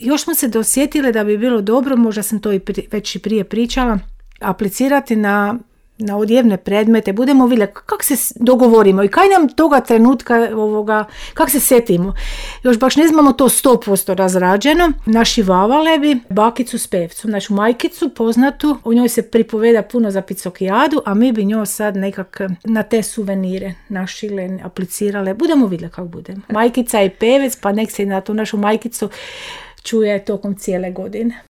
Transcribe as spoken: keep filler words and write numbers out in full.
Još smo se dosjetile da bi bilo dobro, možda sam to i pri, već i prije pričala, aplicirati na, na odjevne predmete, budemo vidjeli kako se dogovorimo i kaj nam toga trenutka, ovoga, kako se setimo. Još baš ne znamo to sto posto razrađeno. Naši vavale bi bakicu s pevcom, našu majkicu poznatu, u njoj se pripoveda puno za Picokijadu, a mi bi njoj sad nekak na te suvenire našile, aplicirale. Budemo vidjeli kako budemo. Majkica i pevec, pa nek se na tu našu majkicu čuje tokom cijele godine.